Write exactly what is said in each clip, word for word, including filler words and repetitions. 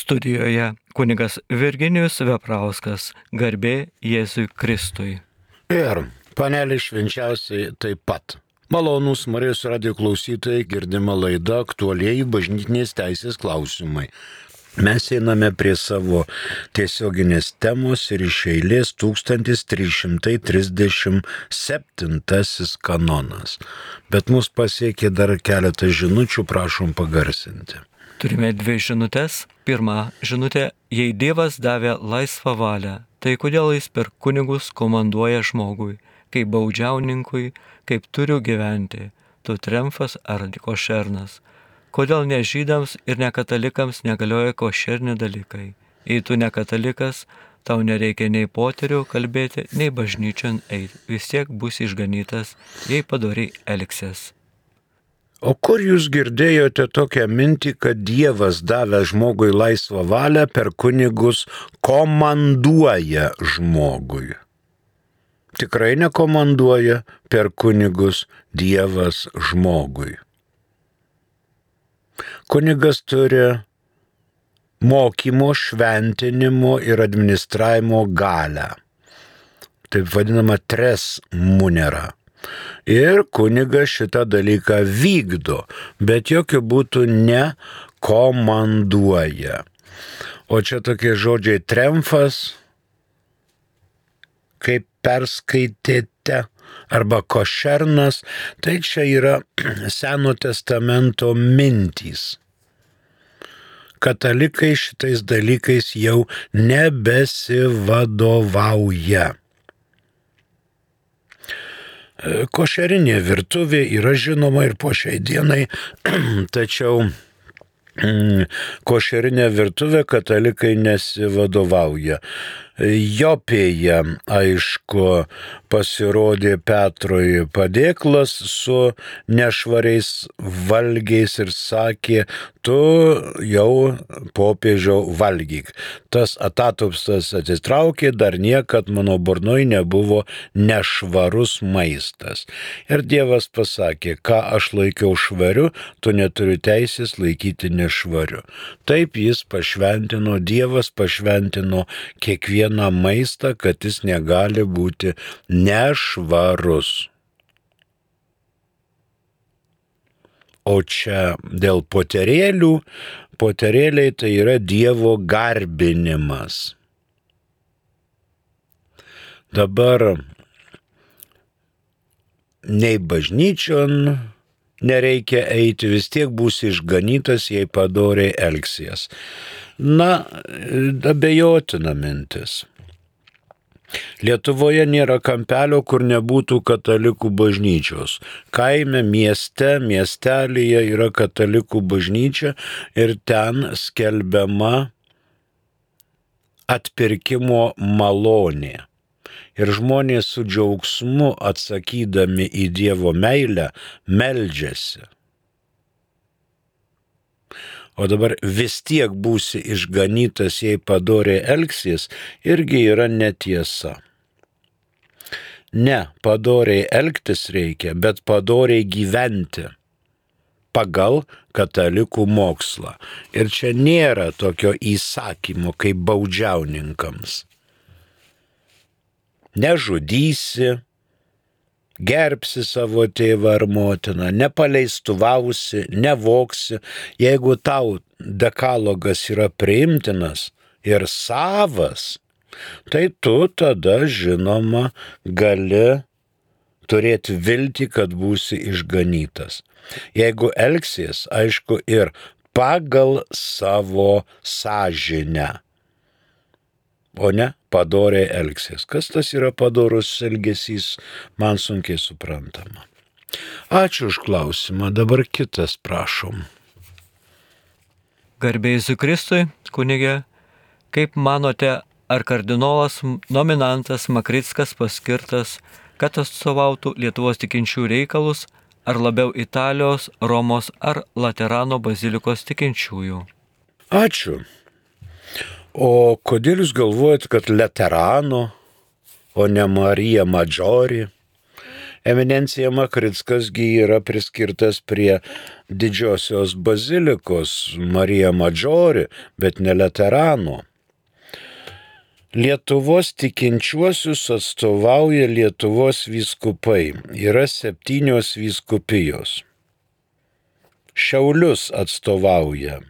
Studijoje kunigas Virginijus Veprauskas, garbė Jėzui Kristui. Ir panelė švenčiausiai taip pat. Malonūs Marijos radijo klausytojai, girdima laida aktualieji bažnytinės teisės klausimai. Mes einame prie savo tiesioginės temos ir iš eilės tūkstantis trys šimtai trisdešimt septintasis kanonas. Bet mus pasiekė dar keletą žinučių, prašom pagarsinti. Turime dvi žinutės. Pirma žinutė: jei Dievas davė laisvą valią, tai kodėl jis per kunigus komanduoja žmogui, kaip baudžiauninkui, kaip turiu gyventi, tu tremfas ar košernas? Kodėl ne žydams ir ne katalikams negalioja košerni dalykai? Jei tu ne katalikas, tau nereikia nei poterių kalbėti, nei bažnyčion eiti. Vis tiek bus išganytas, jei padoriai elgsies. O kur jūs girdėjote tokią mintį, kad Dievas davė žmogui laisvą valią, per kunigus komanduoja žmogui? Tikrai nekomanduoja per kunigus Dievas žmogui. Kunigas turi mokymo, šventinimo ir administravimo galią. Taip vadinama tres munera. Ir kunigas šitą dalyką vykdo, bet jokių būtų nekomanduoja. O čia tokie žodžiai tremfas, kaip perskaitėte, arba košernas, tai čia yra Seno testamento mintys. Katalikai šitais dalykais jau nebesivadovauja. Košerinė virtuvė yra žinoma ir po šiai dienai, tačiau košerinė virtuvė katalikai nesivadovauja. Jopėje, aišku, pasirodė Petrui padėklas su nešvariais valgiais ir sakė: tu jau popiežiau valgyk. Tas atatupstas atsitraukė, dar niekad mano burnoj nebuvo nešvarus maistas. Ir Dievas pasakė: ką aš laikiau švariu, tu neturi teisės laikyti nešvariu. Taip jis pašventino, Dievas pašventino kiekvieną maistą, kad jis negali būti nešvarus. O čia dėl poterėlių, poterėliai tai yra Dievo garbinimas. Dabar nei bažnyčion nereikia eiti, vis tiek būsi išganytas, jei padoriai elgsies. Na, abejotina mintis. Lietuvoje nėra kampelio, kur nebūtų katalikų bažnyčios. Kaime, mieste, miestelyje yra katalikų bažnyčia ir ten skelbiama atpirkimo malonė. Ir žmonės su džiaugsmu atsakydami į Dievo meilę meldžiasi. O dabar vis tiek būsi išganytas, jei padoriai elgsies, irgi yra netiesa. Ne, padoriai elgtis reikia, bet padoriai gyventi pagal katalikų mokslą. Ir čia nėra tokio įsakymo kaip baudžiauninkams. Nežudysi, gerbsi savo tėvą ar motiną, nepaleistuvausi, nevoksi. Jeigu tau dekalogas yra priimtinas ir savas, tai tu tada, žinoma, gali turėti viltį, kad būsi išganytas. Jeigu elgsies, aišku, ir pagal savo sąžinę, o ne padoriai elgsies. Kas tas yra padorus elgesys, man sunkiai suprantama. Ačiū už klausimą, dabar kitas prašom. Garbė Jėzui Kristui, kunige, kaip manote, ar kardinolas nominantas Makrickas paskirtas, kad atstovautų Lietuvos tikinčių reikalus, ar labiau Italijos, Romos ar Laterano bazilikos tikinčiųjų? Ačiū. O kodėl jūs galvojat, kad Laterano, o ne Marija Maggiore? Eminencija Makrickas-gi yra priskirtas prie didžiosios bazilikos Marija Maggiore, bet ne Laterano. Lietuvos tikinčiuosius atstovauja Lietuvos vyskupai. Yra septynios vyskupijos. Šiaulius atstovauja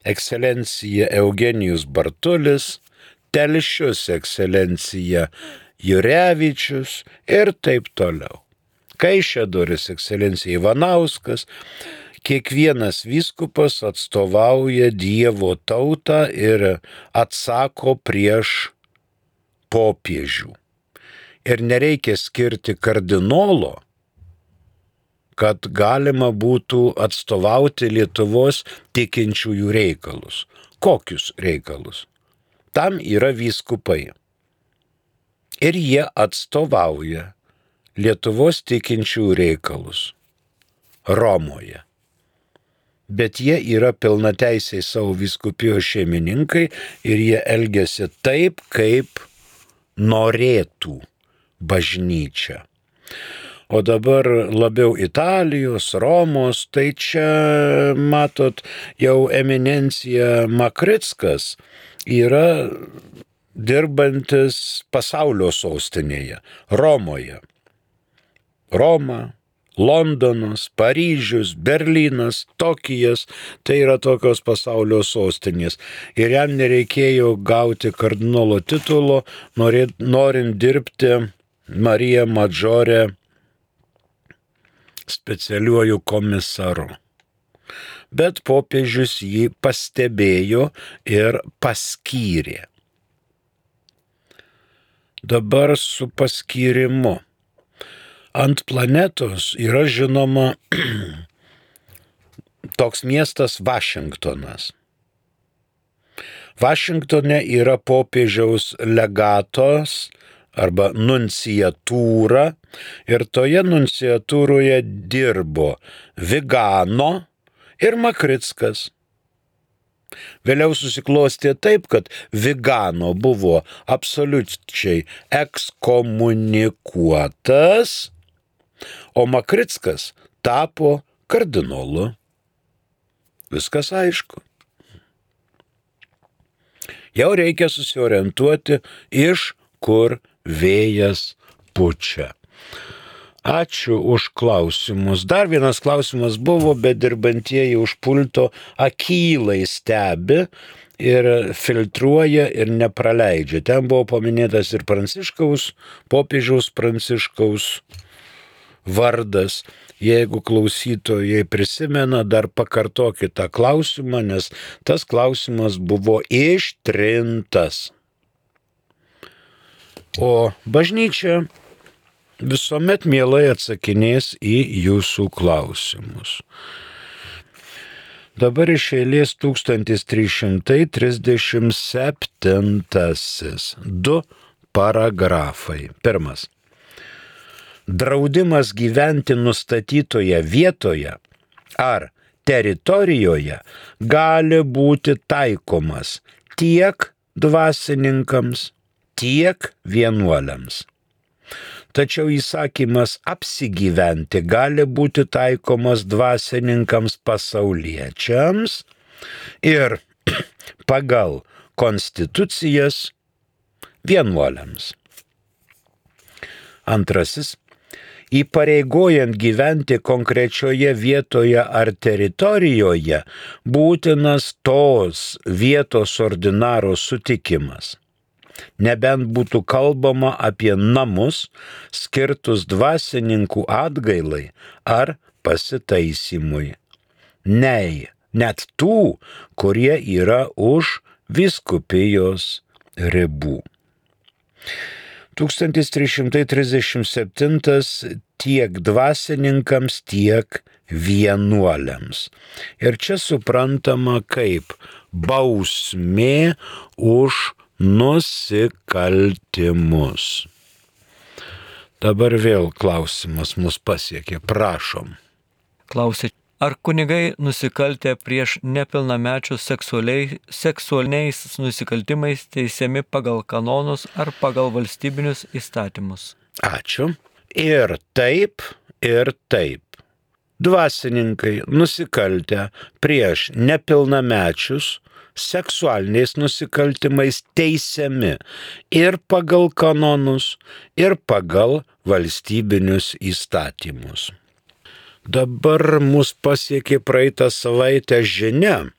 ekscelencija Eugenijus Bartulis, Telšius ekscelencija Jurevičius ir taip toliau. Kaišiadorys ekscelencija Ivanauskas. Kiekvienas vyskupas atstovauja Dievo tautą ir atsako prieš popiežių. Ir nereikia skirti kardinolo, kad galima būtų atstovauti Lietuvos tikinčiųjų reikalus. Kokius reikalus? Tam yra vyskupai. Ir jie atstovauja Lietuvos tikinčiųjų reikalus Romoje. Bet jie yra pilnateisiai savo vyskupijos šeimininkai ir jie elgiasi taip, kaip norėtų bažnyčia. O dabar labiau Italijos, Romos, tai čia, matot, jau eminencija Makrickas yra dirbantis pasaulio sostinėje, Romoje. Roma, Londonas, Paryžius, Berlynas, Tokijas, tai yra tokios pasaulio sostinės. Ir jam nereikėjo gauti kardinolo titulo, norint dirbti Marija Maggiore specialiuoju komisaru. Bet popiežius jį pastebėjo ir paskyrė. Dabar su paskyrimu. Ant planetos yra žinoma toks miestas Vašingtonas. Vašingtone yra popiežiaus legatos arba nunciatūra ir toje nunciatūroje dirbo Vigano ir Makrickas. Vėliau susiklostė taip, kad Vigano buvo absoliučiai ekskomunikuotas, o Makrickas tapo kardinolu. Viskas aišku. Jau reikia susiorientuoti, iš kur vėjas pučia. Ačiū už klausimus. Dar vienas klausimas buvo, bet dirbantieji už pulto akylai stebi ir filtruoja ir nepraleidžia. Ten buvo paminėtas ir Pranciškaus, popiežiaus Pranciškaus vardas. Jeigu klausytojai prisimena, dar pakartokit tą klausimą, nes tas klausimas buvo ištrintas. O bažnyčia visuomet mielai atsakinės į jūsų klausimus. Dabar iš eilės tūkstantis trys šimtai trisdešimt septintasis. Du paragrafai. Pirmas. Draudimas gyventi nustatytoje vietoje ar teritorijoje gali būti taikomas tiek dvasininkams, tiek vienuoliams. Tačiau įsakymas apsigyventi gali būti taikomas dvasininkams pasauliečiams ir pagal konstitucijas vienuoliams. Antrasis. Įpareigojant gyventi konkrečioje vietoje ar teritorijoje būtinas tos vietos ordinaro sutikimas. Nebent būtų kalbama apie namus skirtus dvasininkų atgailai ar pasitaisymui. Nei, net tų, kurie yra už vyskupijos ribų. tūkstantis trys šimtai trisdešimt septintas tiek dvasininkams, tiek vienuoliams. Ir čia suprantama kaip bausmė už nusikaltimus. Dabar vėl klausimas mus pasiekė. Prašom. Klausė, ar kunigai nusikaltę prieš nepilnamečius seksualiai, seksualiniais nusikaltimais teisiami pagal kanonus ar pagal valstybinius įstatymus? Ačiū. ir taip, ir taip. Dvasininkai nusikaltę prieš nepilnamečius seksualiniais nusikaltimais teisiami ir pagal kanonus, ir pagal valstybinius įstatymus. Dabar mus pasiekė praeitą savaitę žinia,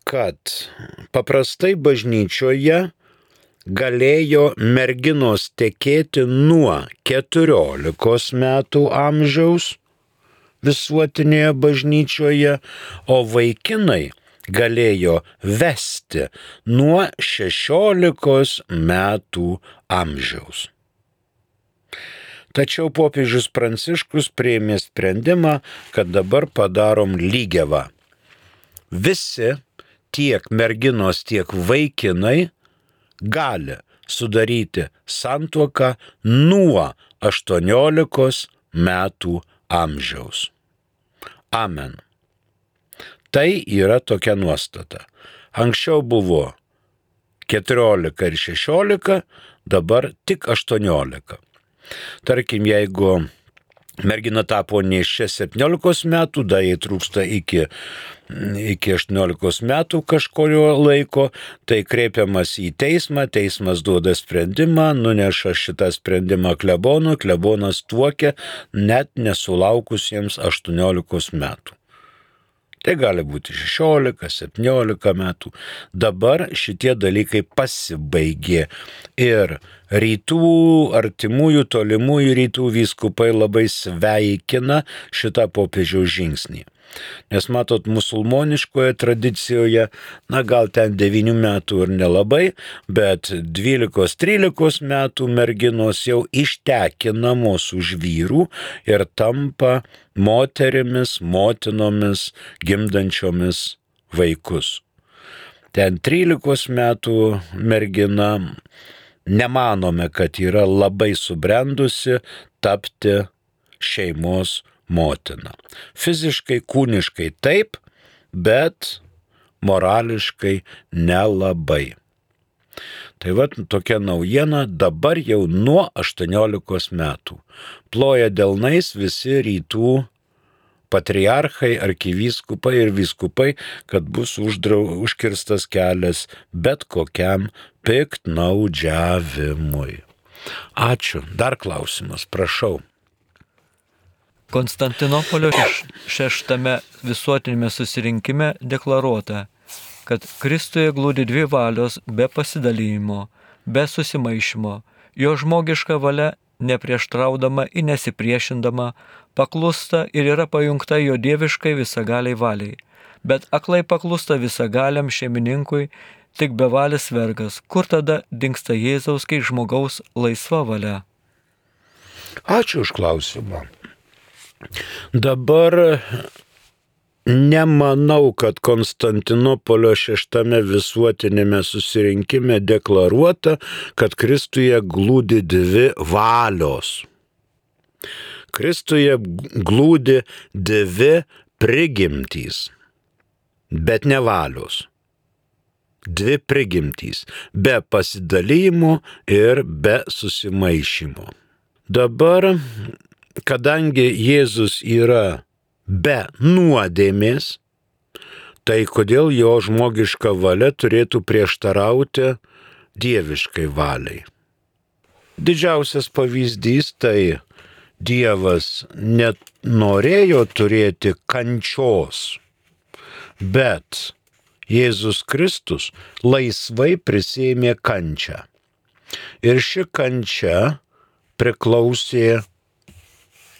kad paprastai bažnyčioje galėjo merginos tekėti nuo keturiolikos metų amžiaus visuotinėje bažnyčioje, o vaikinai galėjo vesti nuo šešiolikos metų amžiaus. Tačiau popiežius Pranciškus priėmė sprendimą, kad dabar padarom lygiavą. Visi, tiek merginos, tiek vaikinai, gali sudaryti santuoką nuo aštuoniolikos metų amžiaus. Amen. Tai yra tokia nuostata. Anksčiau buvo keturiolika ir šešiolika, dabar tik aštuoniolika. Tarkim, jeigu mergina tapo nėščia septyniolikos metų, dar jai trūksta iki, iki aštuoniolikos metų kažkurio laiko, tai kreipiamas į teismą, teismas duoda sprendimą, nuneša šitą sprendimą klebonui, klebonas tuokia net nesulaukusiems aštuoniolikos metų. Tai gali būti šešiolika, septyniolika metų. Dabar šitie dalykai pasibaigė ir rytų, artimųjų, tolimųjų rytų vyskupai labai sveikina šitą popiežiaus žingsnį. Nes matot, musulmoniškoje tradicijoje, na gal ten devynių metų ir nelabai, bet dvylikos trylikos metų merginos jau ištekinamos už vyrų ir tampa moterimis, motinomis, gimdančiomis vaikus. Ten trylikos metų mergina, nemanome, kad yra labai subrendusi tapti šeimos motina. Fiziškai, kūniškai taip, bet morališkai nelabai. Tai va tokia naujiena dabar jau nuo aštuoniolikos metų. Ploja delnais visi rytų patriarchai, arkivyskupai ir vyskupai, kad bus uždrau, užkirstas kelias bet kokiam piktnaudžiavimui. Ačiū. Dar klausimas, prašau. Konstantinopolio šeštame visuotinėme susirinkime deklaruota, kad Kristuje glūdi dvi valios be pasidalijimo, be susimaišymo, jo žmogiška valia neprieštraudama ir nesipriešindama, paklūsta ir yra pajungta jo dieviškai visagaliai valiai, bet aklai paklūsta visagaliam šeimininkui tik bevalis vergas, kur tada dingsta Jėzaus kaip žmogaus laisva valia. Ačiū už klausimą. Dabar nemanau, kad Konstantinopolio šeštame visuotinėme susirinkime deklaruota, kad Kristuje glūdi dvi valios. Kristuje glūdi dvi prigimtys, bet ne valios. Dvi prigimtys, be pasidalymo ir be susimaišymo. Dabar, kadangi Jėzus yra be nuodėmės, tai kodėl jo žmogiška valia turėtų prieštarauti dieviškai valiai? Didžiausias pavyzdys tai Dievas net norėjo turėti kančios, bet Jėzus Kristus laisvai prisiėmė kančią. Ir ši kančia priklausė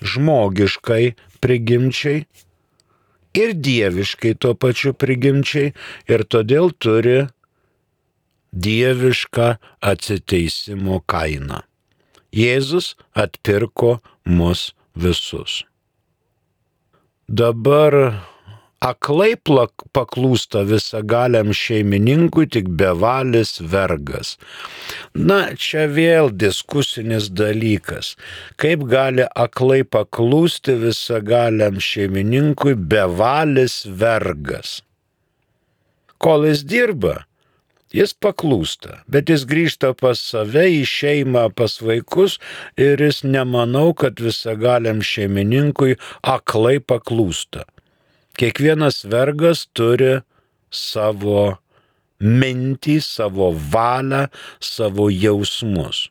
žmogiškai prigimčiai ir dieviškai tuo pačiu prigimčiai ir todėl turi dievišką atsiteisimo kainą. Jėzus atpirko mus visus. Dabar aklai paklūsta visagaliam šeimininkui tik bevalis vergas. Na, čia vėl diskusinis dalykas. Kaip gali aklai paklūsti visagaliam šeimininkui bevalis vergas? Kol jis dirba, Jis paklūsta, bet jis grįžta pas save, į šeimą, pas vaikus ir jis nemanau, kad visagaliam šeimininkui aklai paklūsta. Kiekvienas vergas turi savo mintį, savo valią, savo jausmus.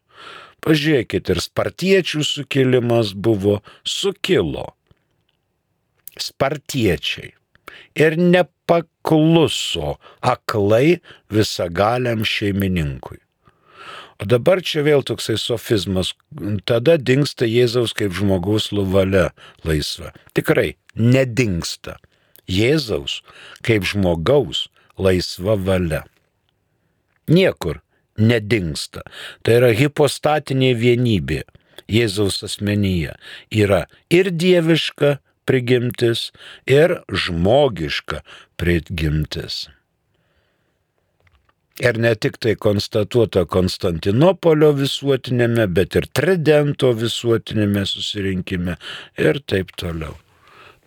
Pažiūrėkit, ir spartiečių sukilimas buvo, sukilo. Spartiečiai. Ir nepakluso aklai visagaliam šeimininkui. O dabar čia vėl toksai sofizmas. Tada dingsta Jėzaus kaip žmogaus valia laisva. Tikrai nedingsta Jėzaus kaip žmogaus laisva valia. Niekur nedingsta. Tai yra hipostatinė vienybė Jėzaus asmenyje. Yra ir dieviška prigimtis, ir žmogiška prigimtis. Ir ne tik tai konstatuota Konstantinopolio visuotinėme, bet ir Tridento visuotinėme susirinkime ir taip toliau.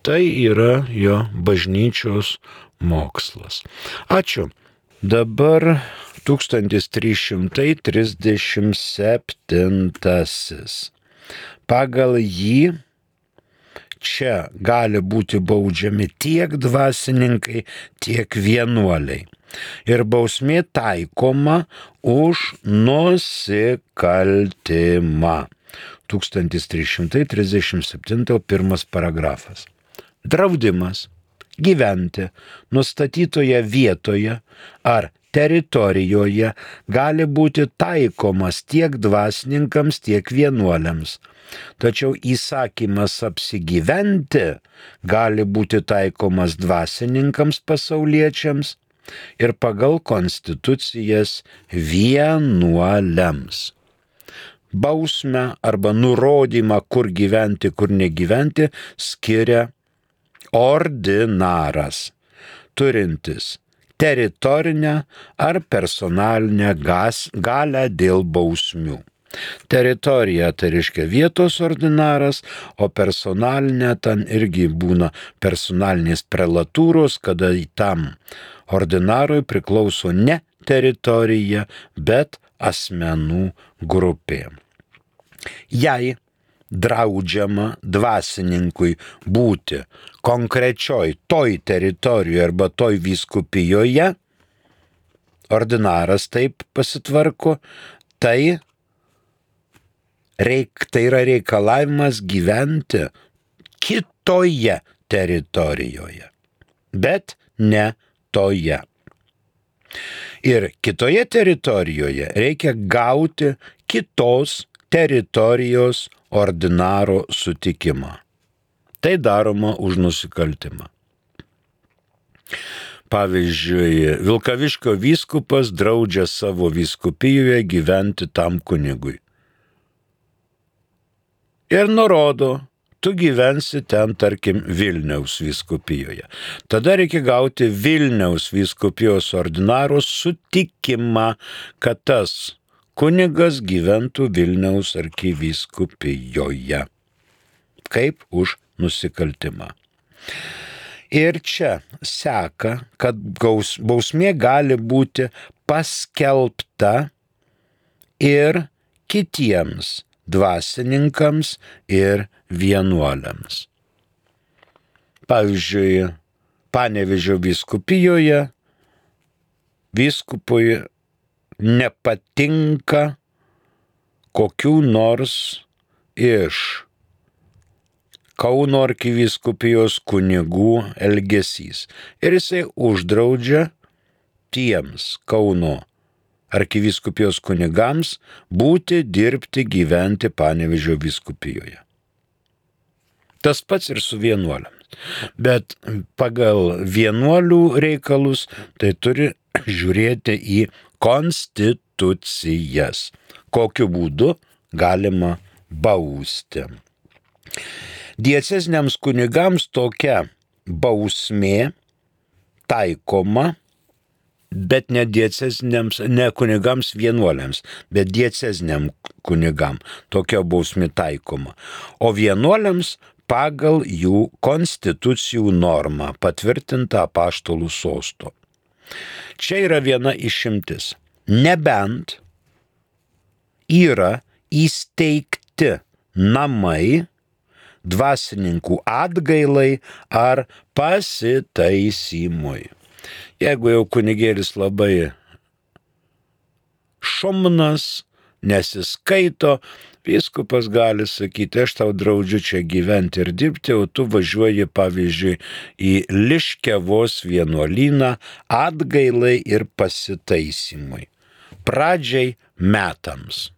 Tai yra jo bažnyčios mokslas. Ačiū. Dabar tūkstantis trys šimtai trisdešimt septintasis. Pagal jį čia gali būti baudžiami tiek dvasininkai, tiek vienuoliai. Ir bausmė taikoma už nusikaltimą. tūkstantis trys šimtai trisdešimt septintas pirmas paragrafas. Draudimas gyventi nustatytoje vietoje ar teritorijoje gali būti taikomas tiek dvasininkams, tiek vienuoliams. Tačiau įsakymas apsigyventi gali būti taikomas dvasininkams pasauliečiams ir pagal konstitucijas vienuoliams. Bausmę arba nurodymą, kur gyventi, kur negyventi, skiria ordinaras, turintis teritorinę ar personalinę galią dėl bausmių. Teritorija tai reiškia vietos ordinaras, o personalinė ten irgi būna personalinės prelatūros, kada tam ordinarui priklauso ne teritorija, bet asmenų grupė. Jei draudžiama dvasininkui būti konkrečioj toj teritorijoje arba toj vyskupijoje, ordinaras taip pasitvarko, tai Reik, tai yra reikalavimas gyventi kitoje teritorijoje, bet ne toje. Ir kitoje teritorijoje reikia gauti kitos teritorijos ordinaro sutikimą. Tai daroma už nusikaltimą. Pavyzdžiui, Vilkaviškio vyskupas draudžia savo vyskupijoje gyventi tam kunigui. Ir nurodo, tu gyvensi ten, tarkim, Vilniaus vyskupijoje. Tada reikia gauti Vilniaus vyskupijos ordinaro sutikimą, kad tas kunigas gyventų Vilniaus arkivyskupijoje. Kaip už nusikaltimą. Ir čia seka, kad bausmė gali būti paskelbta ir kitiems dvasininkams ir vienuoliams. Pavyzdžiui, Panevėžio vyskupijoje vyskupui nepatinka kokių nors iš Kauno arkivyskupijos kunigų elgesys. Ir jisai uždraudžia tiems Kauno arkivyskupijos kunigams būti, dirbti, gyventi Panevėžio vyskupijoje. Tas pats ir su vienuoliams. Bet pagal vienuolių reikalus tai turi žiūrėti į konstitucijas. Kokiu būdu galima bausti. Dieceziniams kunigams tokia bausmė taikoma, bet ne dieceziniams, ne kunigams vienuoliams, bet dieceziniam kunigam tokia bausmė taikoma. O vienuoliams pagal jų konstitucijų normą patvirtintą apaštalų sosto. Čia yra viena išimtis. Nebent yra įsteigti namai dvasininkų atgailai ar pasitaisimui. Jeigu jau kunigėlis labai šomnas, nesiskaito, vyskupas gali sakyti, aš tau draudžiu čia gyventi ir dirbti, o tu važiuoji, pavyzdžiui, į Liškiavos vienuolyną atgailai ir pasitaisimui. Pradžiai metams.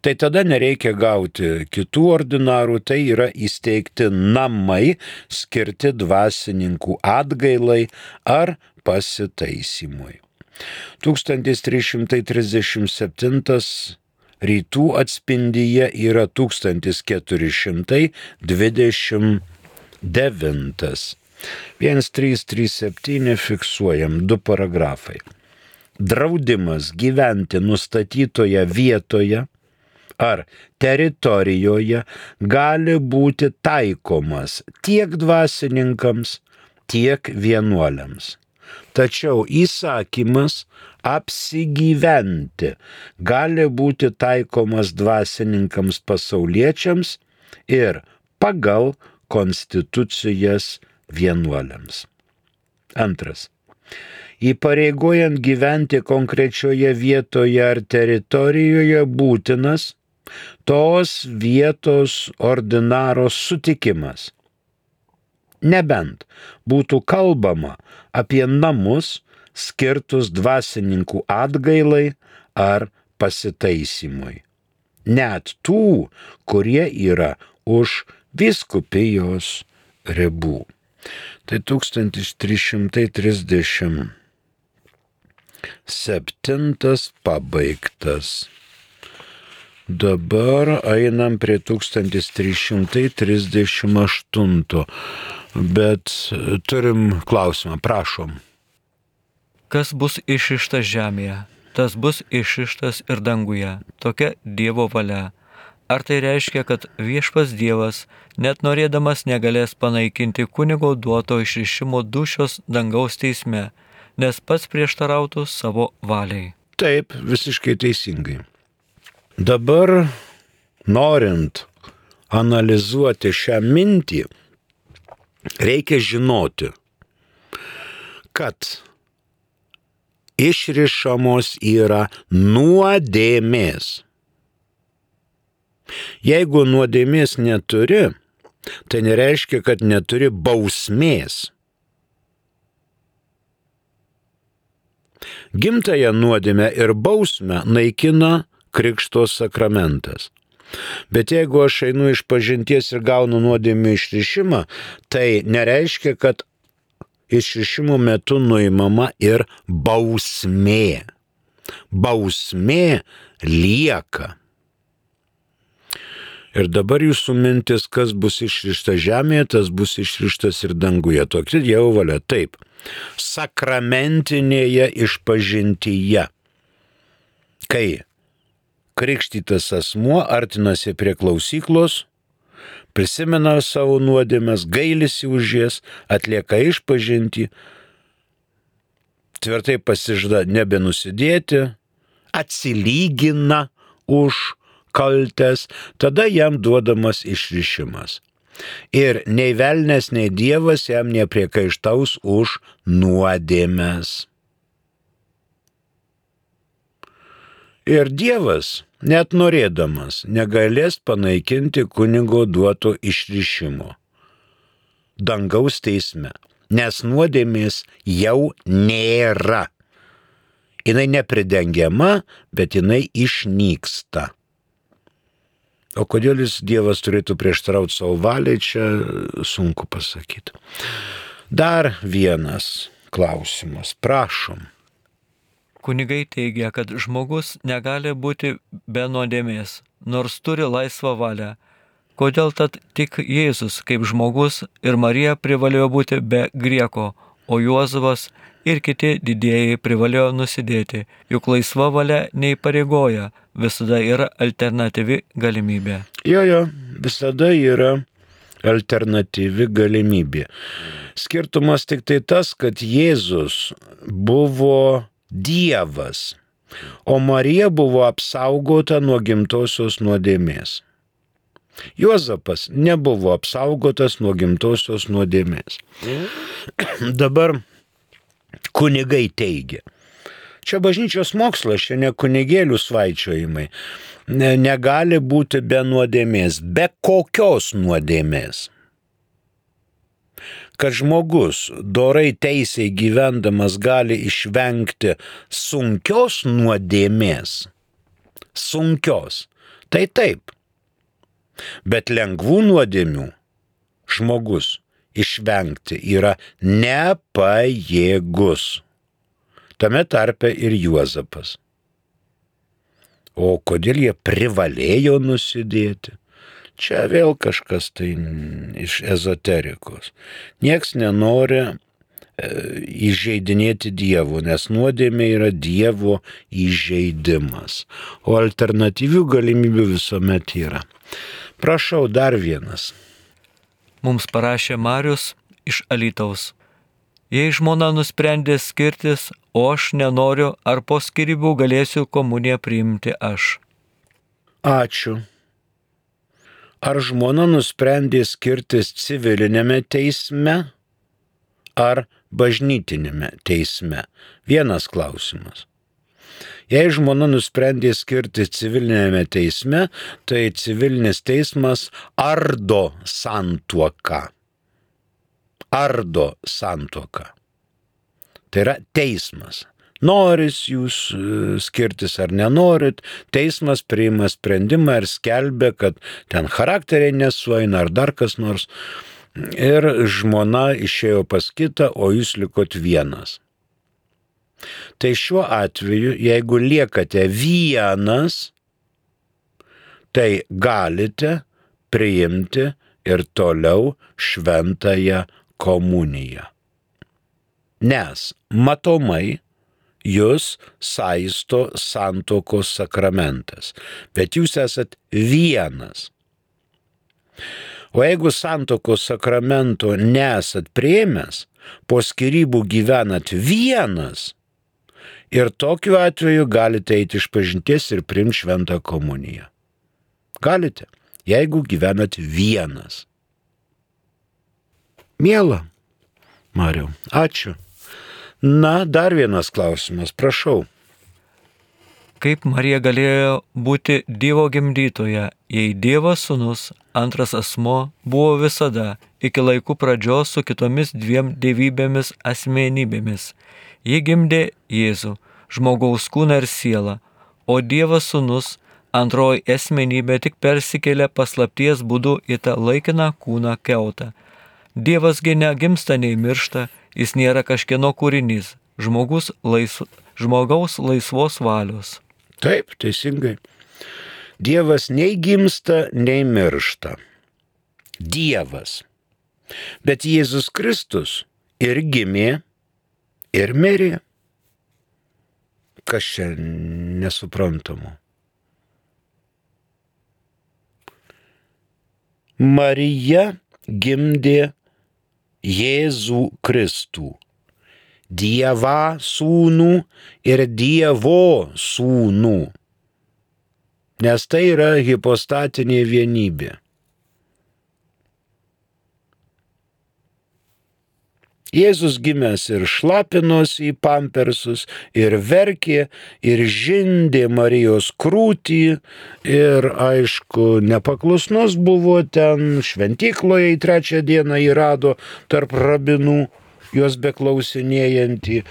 Tai tada nereikia gauti kitų ordinarų, tai yra įsteigti namai skirti dvasininkų atgailai ar pasitaisimui. tūkstantis trys šimtai trisdešimt septintas rytų atspindyje yra tūkstantis keturi šimtai dvidešimt devintas. vienas trys trys septyni fiksuojam du paragrafai. Draudimas gyventi nustatytoje vietoje ar teritorijoje gali būti taikomas tiek dvasininkams, tiek vienuoliams. Tačiau įsakymas apsigyventi gali būti taikomas dvasininkams pasauliečiams ir pagal konstitucijas vienuoliams. Antras. Įpareigojant gyventi konkrečioje vietoje ar teritorijoje būtinas tos vietos ordinaro sutikimas. Nebent būtų kalbama apie namus skirtus dvasininkų atgailai ar pasitaisimui. Net tų, kurie yra už vyskupijos ribų. Tai tūkstantis trys šimtai trisdešimt septintas pabaigtas. Dabar einam prie tūkstantis trys šimtai trisdešimt aštunto. Bet turim klausimą, prašom. Kas bus išrištas žemėje, tas bus išrištas ir danguje. Tokia Dievo valia. Ar tai reiškia, kad viešpats Dievas, net norėdamas, negalės panaikinti kunigo duoto išrišimo dūšios dangaus teisme, nes pats prieštarautų savo valiai? Taip, visiškai teisingai. Dabar, norint analizuoti šią mintį, reikia žinoti, kad išrišamos yra nuodėmės. Jeigu nuodėmės neturi, tai nereiškia, kad neturi bausmės. Gimtąją nuodėmę ir bausmę naikina krikšto sakramentas. Bet jeigu aš einu iš pažinties ir gaunu nuodėmių išrišimą, tai nereiškia, kad išrišimo metu nuimama ir bausmė. Bausmė lieka. Ir dabar jūsų mintis, kas bus išrišta žemėje, tas bus išrištas ir danguje. Tokia Dievo valia. Taip. Sakramentinėje išpažintyje. Kai krikštytas asmuo artinasi prie klausyklos, prisimena savo nuodėmes, gailisi už jas, atlieka išpažintį, tvirtai pasižada nebenusidėti, atsilygina už kaltes, tada jam duodamas išrišimas. Ir nei velnias, nei Dievas jam nepriekaištaus už nuodėmes. Ir Dievas, net norėdamas, negalės panaikinti kunigo duoto išrišimo dangaus teisme, nes nuodėmės jau nėra. Jinai nepridengiama, bet jinai išnyksta. O kodėl jis Dievas turėtų prieštarauti savo valiai, čia sunku pasakyti. Dar vienas klausimas, prašom. Kunigai teigia, kad žmogus negali būti be nuodėmės, nors turi laisvą valią. Kodėl tad tik Jėzus kaip žmogus ir Marija privalėjo būti be grieko, o Juozapas ir kiti didieji privalėjo nusidėti, juk laisva valia neįpareigoja, visada yra alternatyvi galimybė. Jo, jo, visada yra alternatyvi galimybė. Skirtumas tik tai tas, kad Jėzus buvo Dievas, o Marija buvo apsaugota nuo gimtosios nuodėmės. Juozapas nebuvo apsaugotas nuo gimtosios nuodėmės. Dabar kunigai teigia. Čia bažnyčios mokslas, čia ne kunigėlių svaičiojimai. Ne, negali būti be nuodėmės, be kokios nuodėmės. Kad žmogus dorai teisiai gyvendamas gali išvengti sunkios nuodėmės, sunkios, tai taip. Bet lengvų nuodėmių žmogus išvengti yra nepajėgus. Tame tarpe ir Juozapas. O kodėl jie privalėjo nusidėti? Čia vėl kažkas tai iš ezoterikos. Nieks nenori e, įžeidinėti Dievo, nes nuodėmė yra Dievo įžeidimas. O alternatyvių galimybių visuomet yra. Prašau, dar vienas. Mums parašė Marius iš Alytaus. Jei žmona nusprendė skirtis, o aš nenoriu, ar po skyrybų galėsiu komuniją priimti aš? Ačiū. Ar žmona nusprendė skirtis civilinėme teisme ar bažnytinėme teisme? Vienas klausimas. Jei žmona nusprendė skirtis civilinėme teisme, tai civilinis teismas ardo santuoką. Ardo santuoką. Tai yra teismas. Noris jūs skirtis ar nenorit, teismas priima sprendimą ir skelbia, kad ten charakteriai nesueina ar dar kas nors. Ir žmona išėjo pas kitą, o jūs likot vienas. Tai šiuo atveju, jeigu liekate vienas, tai galite priimti ir toliau šventąją komuniją. Nes matomai jūs saisto santuokos sakramentas, bet jūs esat vienas. O jeigu santuokos sakramento nesat priėmęs, po skyrybų gyvenat vienas, ir tokiu atveju galite eiti išpažinties ir priimti šventą komuniją. Galite, jeigu gyvenat vienas. Miela, Mariau, ačiū. Na, dar vienas klausimas, prašau. Kaip Marija galėjo būti Dievo gimdytoja, jei Dievas sūnus, antras asmuo, buvo visada, iki laikų pradžios su kitomis dviem dievybėmis asmenybėmis. Ji gimdė Jėzų, žmogaus kūną ir sielą, o Dievas sūnus, antroji asmenybė, tik persikėlė paslapties būdu į tą laikiną kūną kiautą. Dievasgi negimsta nei miršta, jis nėra kažkieno kūrinys, žmogus laisv, žmogaus laisvos valios. Taip, teisingai. Dievas nei gimsta, nei miršta. Dievas. Bet Jėzus Kristus ir gimė, ir mirė. Kas čia nesuprantama? Marija gimdė Jėzų Kristų, Dievą sūnų ir Dievo sūnų, nes tai yra hipostatinė vienybė. Jėzus gimęs ir šlapinosi į pampersus, ir verkė, ir žindė Marijos krūtį, ir aišku, nepaklusnus buvo ten, šventykloje į trečią dieną jį rado tarp rabinų, juos beklausinėjantį,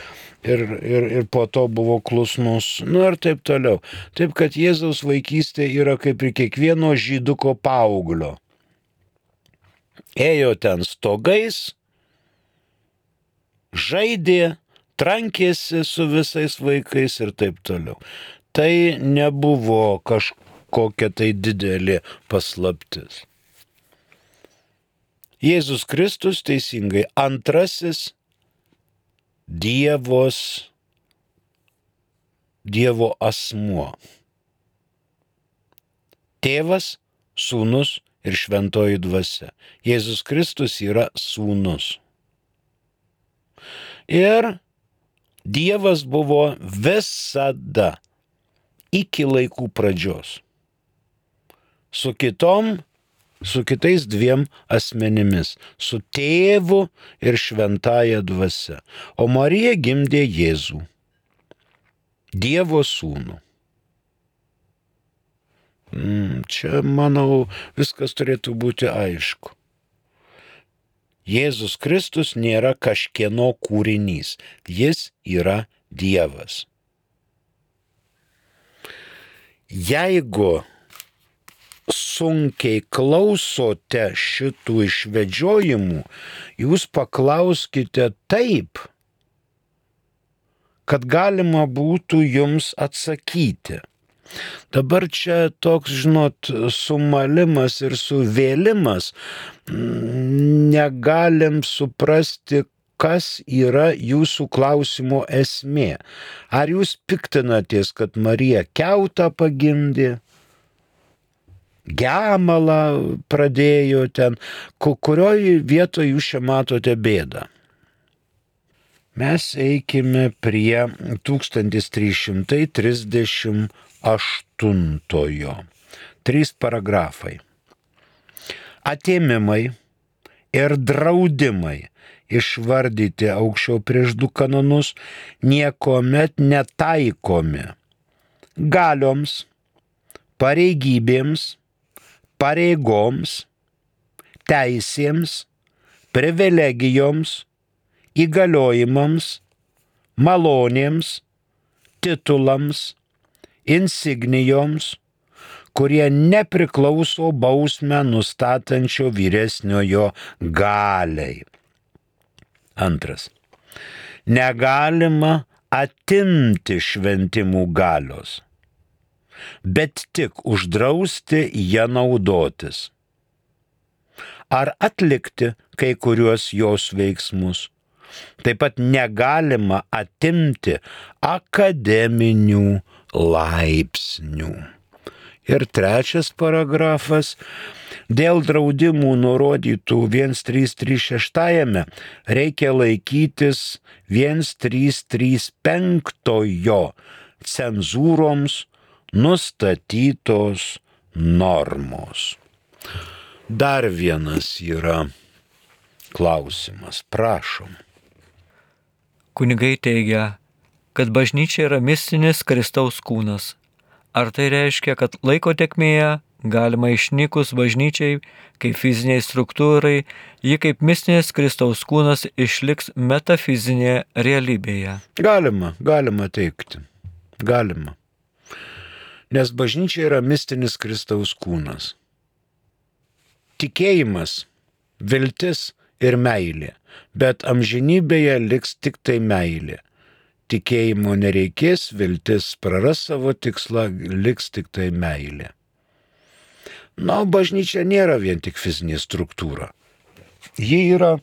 ir, ir, ir po to buvo klusnus, nu ir taip toliau. Taip, kad Jėzaus vaikystė yra kaip ir kiekvieno žyduko paauglio. Ėjo ten stogais, žaidė, trankėsi su visais vaikais ir taip toliau. Tai nebuvo kažkokia tai didelė paslaptis. Jėzus Kristus teisingai antrasis Dievos, Dievo asmuo. Tėvas, sūnus ir šventoji dvasia. Jėzus Kristus yra sūnus. Ir Dievas buvo visada iki laikų pradžios su kitom, su kitais dviem asmenimis, su tėvu ir šventąja dvasia. O Marija gimdė Jėzų, Dievo sūnų. Čia, manau, viskas turėtų būti aišku. Jėzus Kristus nėra kažkieno kūrinys, jis yra Dievas. Jeigu sunkiai klausote šitų išvedžiojimų, jūs paklauskite taip, kad galima būtų jums atsakyti. Dabar čia toks, žinot, sumalimas ir suvėlimas, negalim suprasti, kas yra jūsų klausimo esmė. Ar jūs piktinatės, kad Marija kiautą pagimdė, gemalą pradėjo ten, kurioje vietoje jūs čia matote bėdą? Mes eikime prie tūkstantis trys šimtai trisdešimt aštuntojo. Trys paragrafai. Atėmimai ir draudimai išvardyti aukščiau prieš du kanonus niekuomet netaikomi galioms, pareigybėms, pareigoms, teisėms, privilegijoms, įgaliojimams, malonėms, titulams, insignijoms, kurie nepriklauso bausmę nustatančio vyresniojo galiai. Antras. Negalima atimti šventimų galios, bet tik uždrausti ją naudotis. Ar atlikti kai kuriuos jos veiksmus. Taip pat negalima atimti akademinių laipsnių. Ir trečias paragrafas. Dėl draudimų nurodytų vienas trys trys šeši reikia laikytis vienas trys trys penki cenzūroms nustatytos normos. Dar vienas yra klausimas. Prašom. Kunigai teigia, kad bažnyčia yra mistinis Kristaus kūnas. Ar tai reiškia, kad laiko tėkmėje galima išnykus bažnyčiai kaip fiziniai struktūrai, ji kaip mistinis Kristaus kūnas išliks metafizinėje realybėje? Galima, galima teikti. Galima. Nes bažnyčia yra mistinis Kristaus kūnas. Tikėjimas, viltis ir meilė, bet amžinybėje liks tik tai meilė. Tikėjimo nereikės, viltis praras savo tikslą, liks tik tai meilė. Na, bažnyčia nėra vien tik fizinė struktūra. Ji yra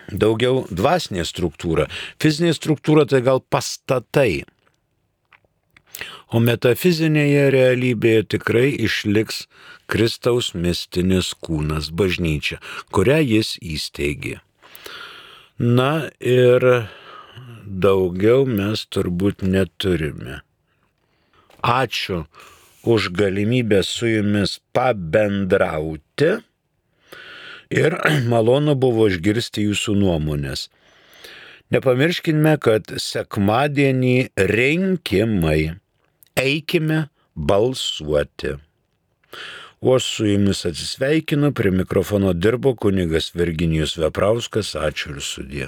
daugiau dvasinė struktūra. Fizinė struktūra tai gal pastatai. O metafizinėje realybėje tikrai išliks Kristaus mistinis kūnas, bažnyčia, kurią jis įsteigė. Na ir daugiau mes turbūt neturime. Ačiū už galimybę su jumis pabendrauti ir malonu buvo išgirsti jūsų nuomonės. Nepamirškime, kad sekmadienį rinkimai. Eikime balsuoti. O aš su jumis atsisveikinu, prie mikrofono dirbo kunigas Virginijus Veprauskas. Ačiū ir sudie.